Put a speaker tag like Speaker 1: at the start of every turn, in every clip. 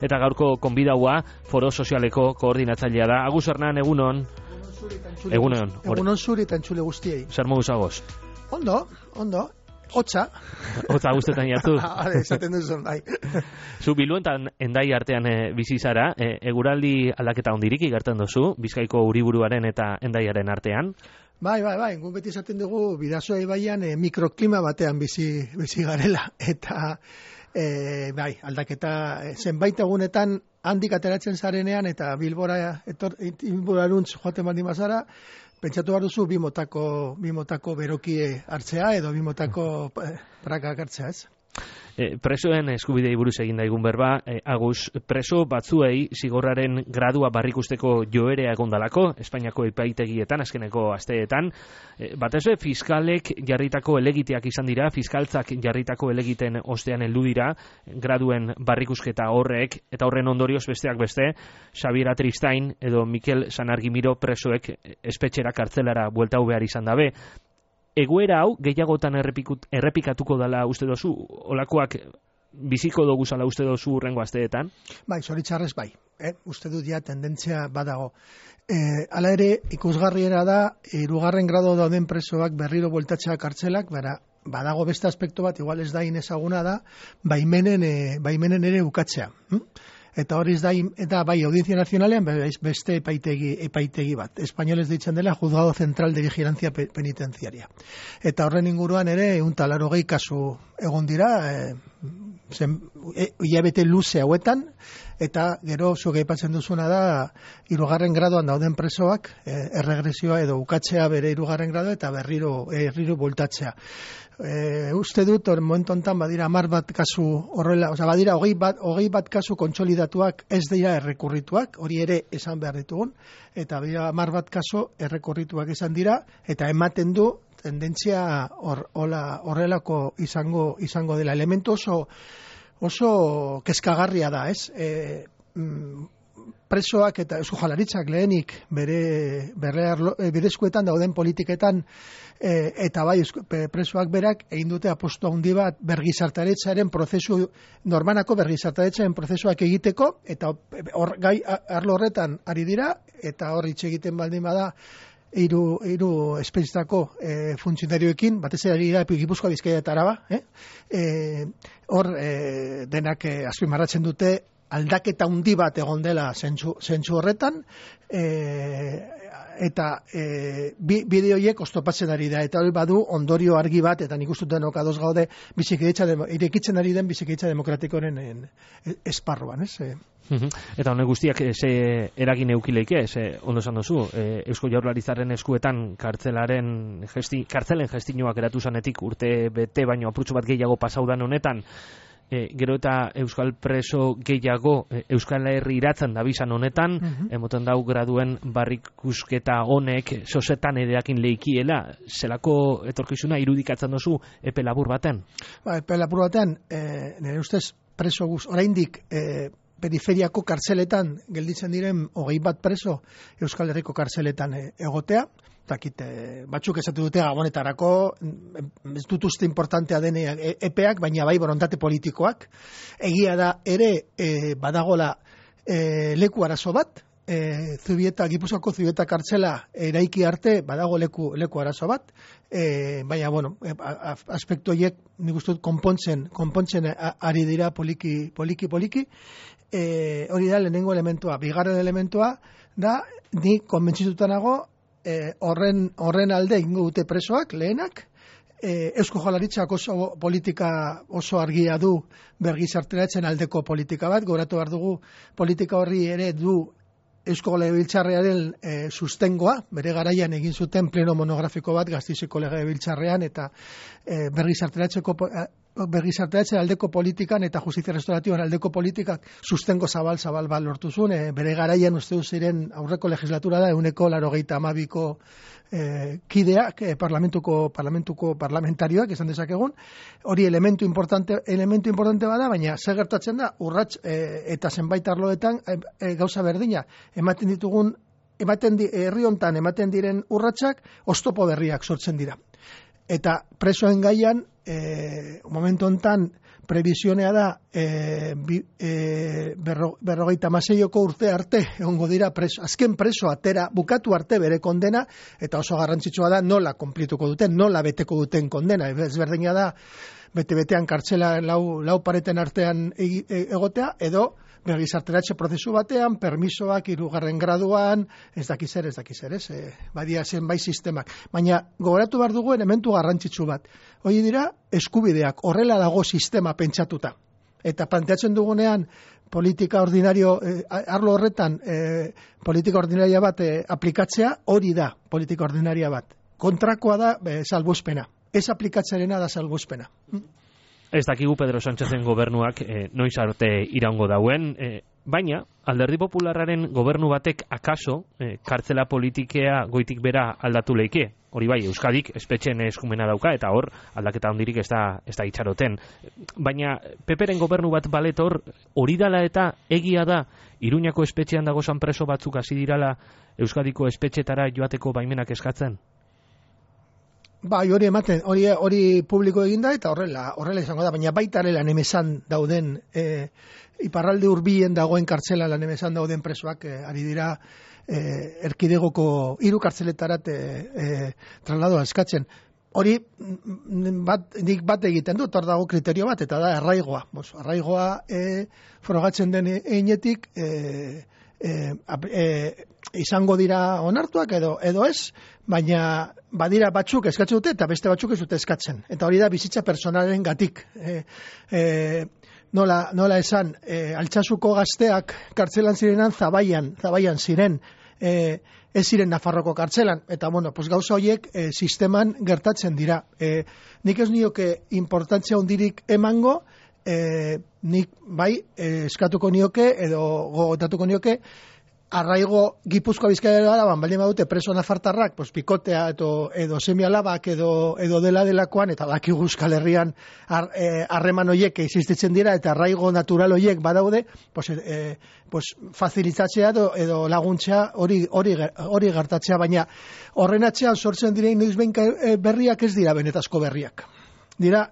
Speaker 1: Eta gaurko konbidaua Foro Sozialeko koordinatzailea da. Agus Hernan, egunon. Egunon.
Speaker 2: Egunon zuri eta entzule guztiei.
Speaker 1: Zer modu zagoz?
Speaker 2: Ondo. Hotza.
Speaker 1: Hotza guztetan jartu.
Speaker 2: Esaten duzun, bai.
Speaker 1: Zu Biluentan Endai artean bizi zara, eguraldi aldaketa hondirik igertzen duzu, Bizkaiko Uriburuaren eta Endaiaren artean.
Speaker 2: Bai, gu beti esaten dugu Bidasoa ibaian mikroklima batean bizi garela, eta bai, aldaketa zenbait egunetan handik ateratzen zarenean eta Bilboraruntz joaten baldin bazara, pentsatu behar duzu bi motako berokie hartzea edo bi motako prakak hartzea, ez?
Speaker 1: Presoen eskubidei buruz egin daigun berba, Agus, preso batzuei zigorraren gradua barrikusteko joerea egondalako, Espainiako epaitegietan, azkeneko asteetan, batez ere fiskalek jarritako elegiteak izan dira, fiskaltzak jarritako elegiten ostean heldu dira, graduen barrikusketa horrek, eta horren ondorioz besteak beste, Xabier Atristain edo Mikel Sanargimiro presoek espetxera kartzelara bueltatu behar izan dabe. Egoera hau gehiagotan errepikatuko dela uste dozu, olakoak biziko dugu zala uste dozu urrengo asteetan?
Speaker 2: Bai, zoritxarrez bai, uste dut ja tendentzia badago. Hala ere, ikusgarriera da, 3. grado dauden presoak berriro bueltatzea kartzelak, badago beste aspektu bat, igual ez da inezaguna da, baimenen ere ukatzea. Eta hori da, eta bai, Audientzia Nazionalean beste epaitegi bat. Espainoles deitzen dela Juzgado Central de Vigilancia Penitenciaria. Eta horren inguruan ere 180 kasu egon dira, hilabete luze hauetan, eta gero zuk aipatzen duzuna da 3. gradoan dauden presoak erregresioa edo ukatzea bere 3. grado eta berriro bueltatzea. Uste dut, momentu honetan badira 10 bat kasu horrela, badira 20 bat kasu kontsolidatuak ez dira errekurrituak, hori ere esan behar ditugun, eta badira 10 bat kasu errekurrituak esan dira, eta ematen du tendentzia horrelako izango dela. Elementu oso kezkagarria da, ez? Presoak eta Eusko Jaurlaritzak lehenik bere eskuetan dauden politiketan eta bai presoak berak egin dute apostu handi bat bergizartaretzaren prozesu, normanako bergizartaretzaren prozesuak egiteko, eta arlo horretan ari dira, eta hor hitz egiten baldin bada hiru espezietako funtzionarioekin, batez ere ari da Gipuzkoa, Bizkaia eta Araba, hor denak azpimarratzen dute aldaketa handi bat egon dela zentzu horretan, eta bideo horiek oztopatzen ari da, eta hori badu ondorio argi bat, eta nik uste denok ados gaude irekitzen ari den bizikidetza demokratikoren esparruan, ez?
Speaker 1: Eta honek guztiak ze eragin eukileike, ondo esan duzu, Eusko Jaurlaritzaren eskuetan kartzelen gestinoak eratu zanetik urte bete baino apurtxo bat gehiago pasaudan honetan, gero eta euskal preso gehiago Euskal Herri iratzen dabizan honetan, emoten dau graduen barrikusketa honek sosetan edeakin leikiela, zelako etorkizuna irudikatzen duzu epe labur baten?
Speaker 2: Epe labur baten, nire ustez preso oraindik periferiako kartzeletan gelditzen diren 20 bat preso Euskal Herriko kartzeletan egotea, batzuk esatu dute gabonetarako, ez dut uste importantea den epeak, baina bai borondate politikoak. Egia da ere badagola leku arazo bat, Gipuzkoako Zubieta kartzela eraiki arte badago leku arazo bat, baina, aspektu horiek nik uste dut konpontzen ari dira poliki. Hori da lehenengo elementua. Bigarren elementua da, ni konbentzituta nago, horren alde egingo dute presoak, lehenak, Eusko Jaurlaritzak oso argia du bergizarteratzen aldeko politika bat, gogoratu behar dugu politika horri ere du Eusko Legebiltzarrearen sustengoa, bere garaian egin zuten pleno monografiko bat Gasteizeko Legebiltzarrean, eta bergizarteratzen aldeko politikan eta justizia restauratiboan aldeko politikak sustengo zabal bat lortu zuen, bere garaian uste du ziren aurreko legislatura da 182ko kideak, parlamentarioak esan dezakegun, hori elementu importante bada, baina zer gertatzen da, urrats eta zenbait arloetan gauza berdina, herri hontan ematen diren urratsak oztopo berriak sortzen dira. Eta presoen gaian, momentu hontan, previsionea da 56ko urte arte egongo dira azken preso atera bukatu arte bere kondena, eta oso garrantzitsua da nola konplituko duten, nola beteko duten kondena. Ezberdina da bete-betean kartzela lau pareten artean egotea, edo bergizarteratze prozesu batean, permisoak 3. graduan, ez dakiz zer, badia zenbait sistemak. Baina gogoratu behar dugu elementu garrantzitsu bat. Hori dira eskubideak, horrela dago sistema pentsatuta. Eta planteatzen dugunean politika ordinario, arlo horretan politika ordinaria bat aplikatzea, hori da politika ordinaria bat. Kontrakoa da salbuespena. Ez aplikatzearena da salbuespena.
Speaker 1: Ez dakigu Pedro Sánchezen gobernuak noiz arte iraungo dauen, baina Alderdi Popularraren gobernu batek akaso kartzela politikea goitik bera aldatu leike. Hori bai, Euskadik espetxeen eskumena dauka, eta hor aldaketa hondirik ez da itxaroten. Baina PPren gobernu bat baletor, hori dala eta egia da Iruñako espetxean dagozan preso batzuk hasi dirala Euskadiko espetxetara joateko baimenak eskatzen?
Speaker 2: Bai, hori ematen, hori publiko eginda eta horrela izango da, baina baita ere Lanemesan dauden, iparralde hurbilen dagoen kartzela Lanemesan dauden presoak ari dira erkidegoko 3 kartzeletarat trasladoa eskatzen. Hori nik bat egiten dut, hor dago kriterio bat, eta da arraigoa. Arraigoa frogatzen den einetik izango dira onartuak edo ez, baina badira batzuk eskatzen dute eta beste batzuk ez dute eskatzen. Eta hori da bizitza personalen gatik. Nola esan, Altsasuko gazteak kartzelan zirenan Zabaian ziren, ez ziren Nafarroko kartzelan, eta gauza horiek sisteman gertatzen dira. Nik ez nioke importantzia hondirik emango, nik bai eskatuko nioke edo gogotatuko nioke arraigo Gipuzkoa Bizkaia Araban baldin badute preso nafartarrak, pikotea edo semialabak edo delakoan, eta dakigu Euskal Herrian harreman horiek existitzen dira eta arraigo natural horiek badaude, facilitatzea edo laguntzea hori gertatzea, baina horren atzean sortzen direin noizbehin berriak ez dira benetazko berriak. Dira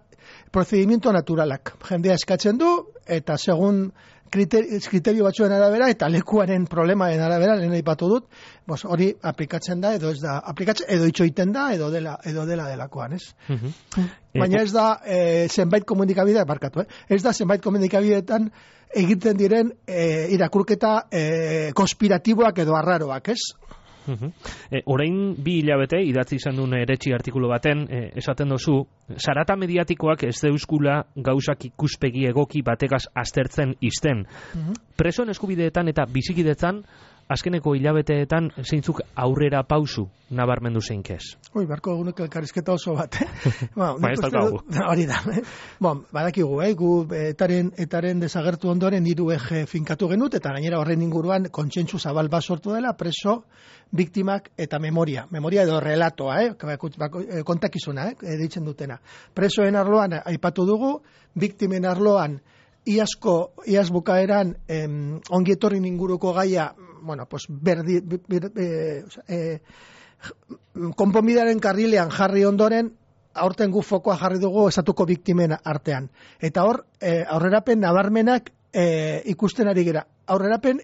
Speaker 2: procedimiento naturalak. Jendea eskatzen du, eta segun kriterio batzuen arabera eta lekuaren problemaren arabera, lehen aipatu dut, hori aplikatzen da, edo ez da aplikatzen, edo itxoiten da, edo delakoan, ez? Baina ez da zenbait komunikabideak, ez da zenbait komunikabideetan egiten diren irakurketa konspiratiboak edo arraroak, ez?
Speaker 1: Orain 2 hilabete idatzi izan duen eretxi artikulu baten esaten dozu, zarata mediatikoak ez deuskula gauzak ikuspegi egoki bategaz aztertzen izten. Presoen eskubideetan eta bizikidetzan azkeneko hilabeteetan zeintzuk aurrera pausu nabarmendu zeinkez?
Speaker 2: Barko egunek elkarrizketa oso bat.
Speaker 1: Ez daukagu.
Speaker 2: Hori da. Badakigu, gu etaren desagertu ondoren 3 eje finkatu genut, eta gainera horren inguruan kontsentsu zabal bat sortu dela, preso, biktimak eta memoria. Memoria edo relatoa, kontakizuna, ditzen dutena. Presoen arloan aipatu dugu, biktimen arloan iaz bukaeran ongietorrin inguruko gaia, konponbidearen karrilean jarri ondoren, aurten gu fokoa jarri dugu estatuko biktimen artean. Eta hor, aurrerapen nabarmenak ikusten ari gera. Aurrerapen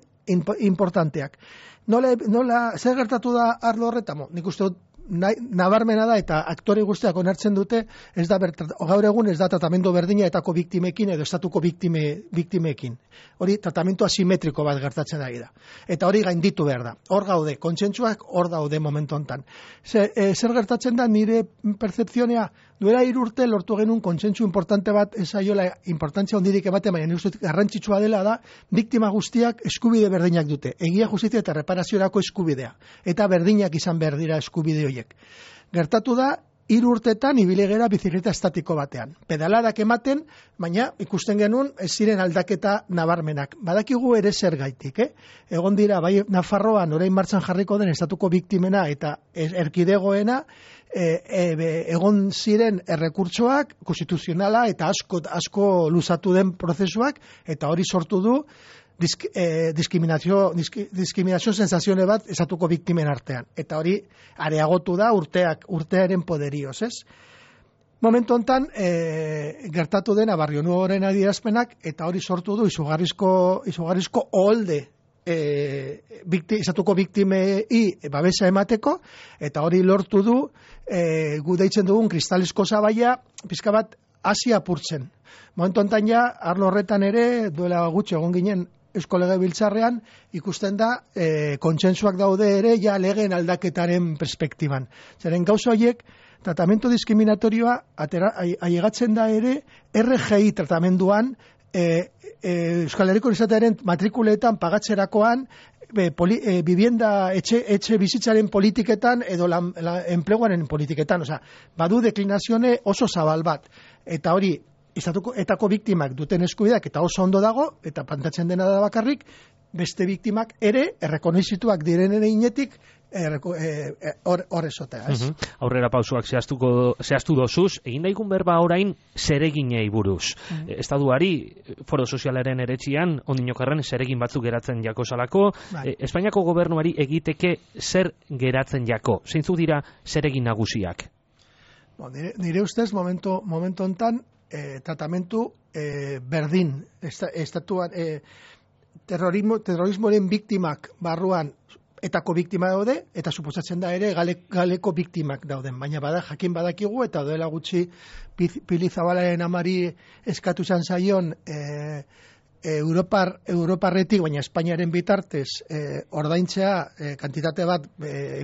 Speaker 2: importanteak. Zer gertatu da arlo horretan? Nik uste dut nabarmena da, eta aktore guztiak onartzen dute, gaur egun ez da tratamendu berdina etako biktimekin edo estatuko biktimekin. Hori tratamendu asimetriko bat gertatzen ari da. Eta hori gainditu behar da. Hor gaude, kontsentsuak hor daude momentu honetan. Zer gertatzen da nire percepzionea? Duela 3 urte lortu genuen kontsentsu importante bat, ez aiola importantzia hondirik ematen, baina nire uste garrantzitsua dela da, biktima guztiak eskubide berdinak dute. Egia justizia eta reparaziorako eskubidea. Eta berdinak izan behar dira eskubide horiek. Gertatu da, 3 urtetan ibile gera bizikleta estatiko batean. Pedaladak ematen, baina ikusten genuen ez ziren aldaketa nabarmenak. Badakigu ere zer gaitik, Egon dira, bai Nafarroan orain martxan jarriko den estatuko biktimena eta erkidegoena, egon ziren errekurtsoak, konstituzionala eta asko luzatu den prozesuak, eta hori sortu du diskriminazio sensazione bat estatuko biktimen artean. Eta hori areagotu da urtearen poderioz, ez? Momentu hontan gertatu dena Barrio Nuevoren adierazpenak, eta hori sortu du izugarrizko oholde izatuko biktimei babesa emateko, eta hori lortu du gu deitzen dugun kristalizko zabaia pizka bat hasi apurtzen. Momentu hontan ja, arlo horretan ere, duela gutxi egon ginen Eusko Legebiltzarrean, ikusten da kontsentsuak daude ere ja legeen aldaketaren perspektiban. Zeren gauza horiek, tratamentu diskriminatorioa ailegatzen da ere RGI tratamenduan Euskal Herriko Unibertsitatearen matrikuletan pagatzerakoan vivienda etxe bizitzaren politiketan edo enpleguaren politiketan, badu deklinazione oso zabal bat, eta hori etako biktimak duten eskubideak eta oso ondo dago, eta plantatzen dena da bakarrik, beste biktimak ere errekonoizituak direnen inetik hor esotea.
Speaker 1: Aurrera pausuak zehaztu dozuz, egin daigun berba orain zereginei buruz. Estatuari, foro sozialaren eretxian, ondinokarren zeregin batzuk geratzen jako salako, Espainiako gobernuari egiteke zer geratzen jako. Zeintzuk dira zeregin nagusiak?
Speaker 2: Nire ustez, momentu hontan, tratamentu berdin, estatuan, terrorismoaren biktimak barruan etako biktima daude, eta suposatzen da ere galeko biktimak dauden. Baina jakin badakigu, eta duela gutxi Pili Zabalaren amari eskatu izan zaion Europarretik, baina Espainiaren bitartez ordaintzea kantitate bat,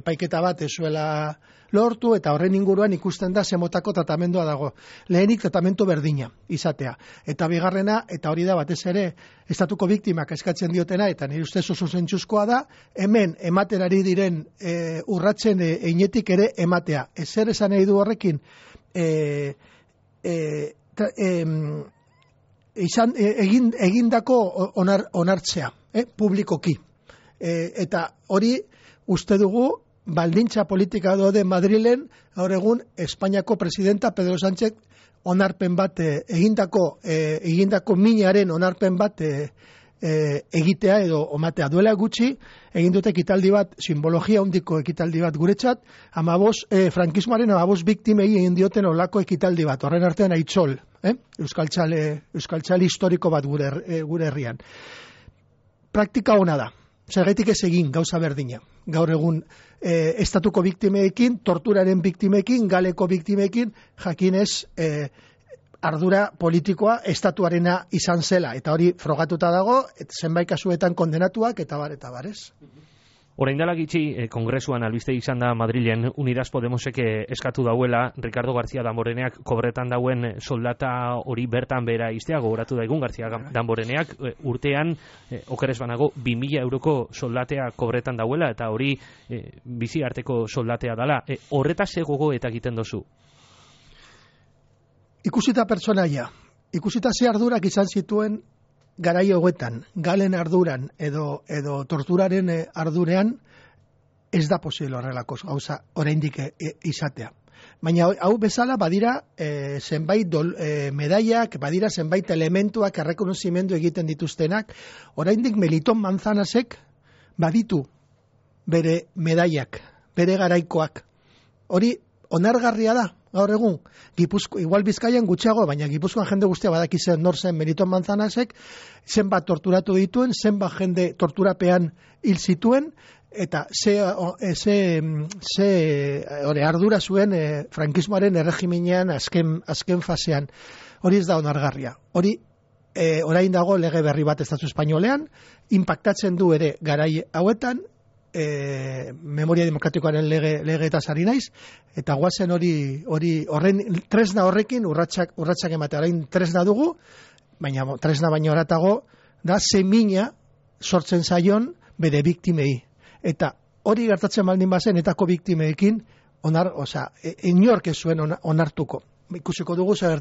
Speaker 2: epaiketa bat ezuela lortu, eta horren inguruan ikusten da zemotako tratamendua dago. Lehenik tratamendu berdina izatea. Eta bigarrena, eta hori da batez ere, estatuko biktimak eskatzen diotena, eta nire ustez oso zentzuzkoa da, hemen ematen ari diren urratzen einetik ere ematea. Ezer esan nahi du horrekin, egindako onartzea, publikoki. Eta hori uste dugu, baldintza politika daude Madrilen, gaur egun Espainiako presidenta Pedro Sánchez onarpen bat egindako minaren onarpen bat egitea edo omatea. Duela gutxi egin dute ekitaldi bat, simbologia handiko ekitaldi bat guretzat, frankismoaren 15 biktimei egin dioten olako ekitaldi bat, horren artean Aitzol, euskaltzale historiko bat gure herrian. Praktika ona da. Zergatik ez egin gauza berdina. Gaur egun estatuko biktimeekin, torturaren biktimeekin, galeko biktimeekin, jakinez ardura politikoa estatuarena izan zela. Eta hori frogatuta dago, zenbait kasuetan kondenatuak, eta bar, ez?
Speaker 1: Orain dela gitxi, kongresuan albiste izan da Madrilen, Unidas Podemosek eskatu dauela, Ricardo García Damboreneak kobretan dauen soldata hori bertan bera iztea, gogoratu daigun García Damboreneak urtean, okeres banago, 2.000 euroko soldatea kobretan dauela, eta hori bizi arteko soldatea dala. Horretaz gogo eta egiten dozu?
Speaker 2: Ikusita pertsonaia, ikusita ze ardurak izan zituen garai hauetan, galen arduran edo torturaren ardurean, ez da posible horrelako gauza oraindik izatea. Baina hau bezala badira zenbait medaiak, badira zenbait elementuak errekonozimendu egiten dituztenak, oraindik Meliton Manzanasek baditu bere medaiak, bere garaikoak. Hori onargarria da. Gaur egun, igual Bizkaian gutxiago, baina Gipuzkoan jende guztia badakizen nor zen Meliton Manzanasek, zenbat torturatu dituen, zenbat jende torturapean hil zituen, eta ze ardura zuen frankismoaren erregiminean azken fasean. Hori ez da onargarria. Hori orain dago lege berri bat estatu espainolean, impactatzen du ere garai hauetan, memoria demokratikoaren lege eta sari naiz, eta guazen horren tresna horrekin urratsak ematea. Orain tresna dugu, baina tresna baino oratago da zemina sortzen zaion bere biktimei. Eta hori gertatzen baldin bazen etako biktimeekin inork ez zuen onartuko. Ikusiko dugu zer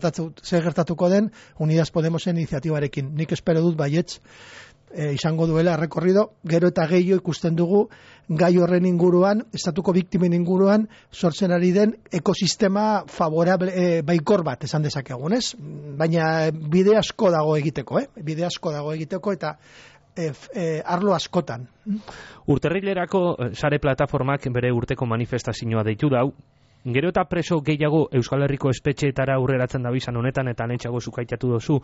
Speaker 2: gertatuko den Unidas Podemosen iniziatibarekin. Nik espero dut baietz izango duela rekorrido, gero eta gehiago ikusten dugu gai horren inguruan, estatuko biktimen inguruan, sortzen ari den ekosistema favorable, baikor bat esan dezakegun, ez? Baina bide asko dago egiteko, eta arlo askotan.
Speaker 1: Urterrilerako sare plataformak bere urteko manifestazioa deitu dau, Gero eta preso gehiago Euskal Herriko espetxeetara urreratzen da bizan honetan, eta lehentxago zukaitatu dozu,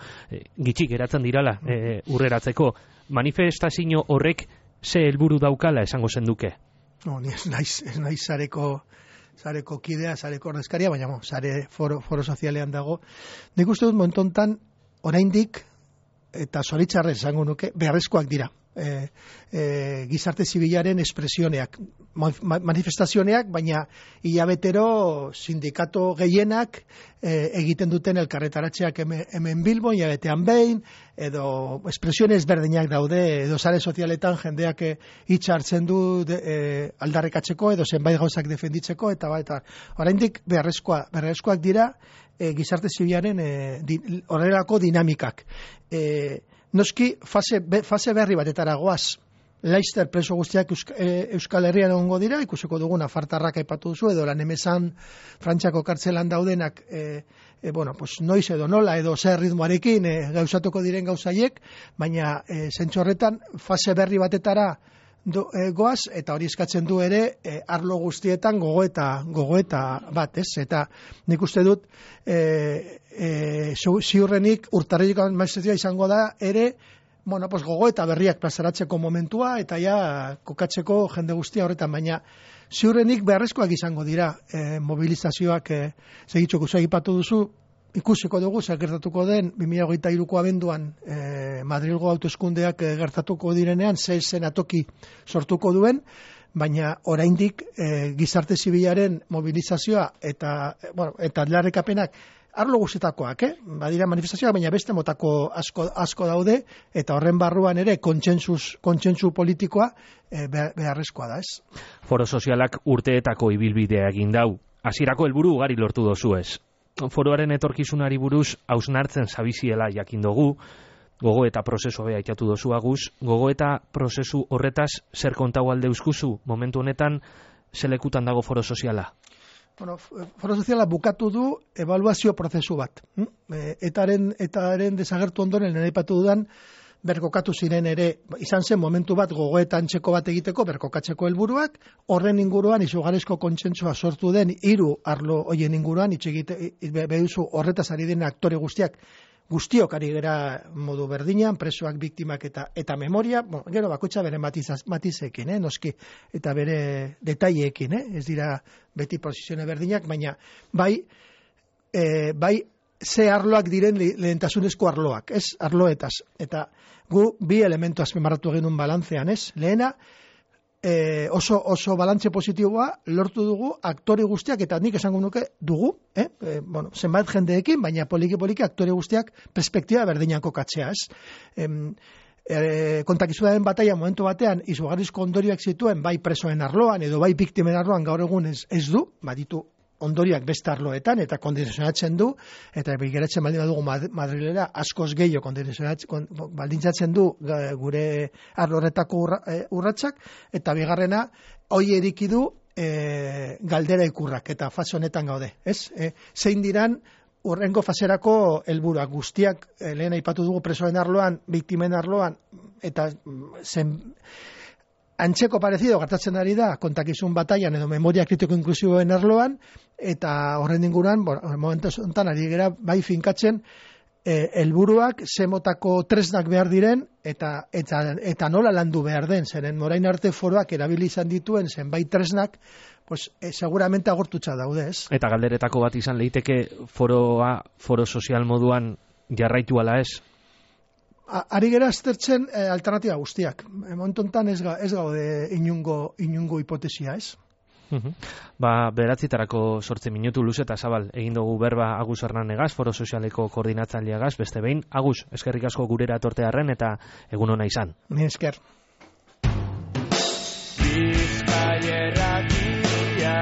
Speaker 1: gitxik geratzen dirala urreratzeko. Manifestazio horrek ze helburu daukala esango zenduke?
Speaker 2: No, ni ez naiz sareko kidea, sareko ordezkaria, baina sare foro sozialean dago. Nik uste dut momentontan oraindik eta zoritxarrez esango nuke beharrezkoak dira. Gizarte zibilaren espresioneak, manifestazioneak, baina hilabetero sindikato gehienak egiten duten elkarretaratzeak hemen Bilbon, hilabetean behin, edo espresiones berdinak daude, edo sare sozialetan jendeak hitza hartzen du aldarrekatzeko, edo zenbait gauzak defenditzeko, eta oraindik beharrezkoak dira gizarte zibilaren horrelako dinamikak. Noski, fase berri batetara goaz. Laster preso guztiak Euskal Herrian egongo dira, ikusiko dugun afartarrak aipatu duzu, edo lan emezan Frantziako kartzelan daudenak, noiz edo nola, edo zer ritmoarekin gauzatuko diren gauzaiek, baina zentzu horretan fase berri batetara goaz, eta hori eskatzen du ere arlo guztietan gogoeta bat, ez? Eta nik uste dut ziurrenik urtarrileko maestria izango da ere gogoeta berriak plazaratzeko momentua, eta ja kokatzeko jende guztia horretan, baina ziurrenik beharrezkoak izango dira mobilizazioak segitxoko aipatu duzu. Ikusiko dugu, zer gertatuko den 2023ko abenduan Madrilgo hauteskundeak gertatuko direnean, zen atoki sortuko duen, baina oraindik gizarte zibilaren mobilizazioa eta aldarrikapenak arlo guztietakoak, badira manifestazioak, baina beste motako asko daude, eta horren barruan ere kontsentsu politikoa beharrezkoa da, ez?
Speaker 1: Foro sozialak urteetako ibilbidea egin dau. Hasierako helburu ugari lortu dozu ez. Foroaren etorkizunari buruz hausnartzen zabiziela jakin dugu, gogoeta prozesu bea aitatu dozu Agus, gogoeta prozesu horretaz zer kontau alde euskuzu, momentu honetan zelekutan dago foro soziala?
Speaker 2: Foro soziala bukatu du ebaluazio prozesu bat. Etaren desagertu ondoren aipatu dudan berkokatu ziren ere, izan zen momentu bat gogoeta antzeko bat egiteko, berkokatzeko helburuak, horren inguruan izugarrizko kontsentsua sortu den 3 arlo hoien inguruan, behuzu horretaz ari den aktore guztiok ari gera modu berdinan, presoak, biktimak eta memoria, gero bakoitza bere matizekin, noski, eta bere detaileekin, ez dira beti posizione berdinak, baina bai ze arloak diren lehentasunezko arloak, ez? Arloetaz. Eta gu bi elementu azpimarratu egin un balantzean, ez? Lehena, oso balantze positiboa lortu dugu aktore guztiak, eta nik esango nuke dugu, zenbait jendeekin, baina poliki aktore guztiak perspektiba berdinan kokatzea, ez? Kontakizunaren bataia momentu batean izugarrizko ondorioak zituen, bai presoen arloan edo bai biktimen arloan gaur egun ez du, baditu ondoriak beste arloetan, eta kondizionatzen du, eta bigeratzen baldin badugu Madrilera askoz gehiago baldintzatzen du gure arlo horretako urratsak, eta bigarrena, hoi erikidu galdera ikurrak, eta fase honetan gaude, ez? Zein diran urrengo faserako helburuak guztiak, lehen aipatu dugu presoen arloan, biktimen arloan, eta antzeko parezido gertatzen ari da kontakizun bataian edo memoria kritiko inklusiboen arloan, eta horren inguruan, momentu honetan ari gera bai finkatzen helburuak zemotako tresnak behar diren eta nola landu behar den, zeren orain arte foroak erabili izan dituen zenbait tresnak, seguramente agortutza daude, ez? Eta
Speaker 1: galderetako bat izan leiteke foro sozial moduan jarraitu ala ez?
Speaker 2: Ari gera aztertzen alternatiba guztiak. Momentu honetan ez gaude inungo hipotesia, ez?
Speaker 1: Beratzitarako 8 minutu luze eta zabal egin dugu berba Agus Hernandegaz, foro sozialeko koordinatzaileagaz, beste behin. Agus, eskerrik asko gurera etortearren eta egun ona izan.
Speaker 2: Ni esker.
Speaker 3: Bizkaia irratia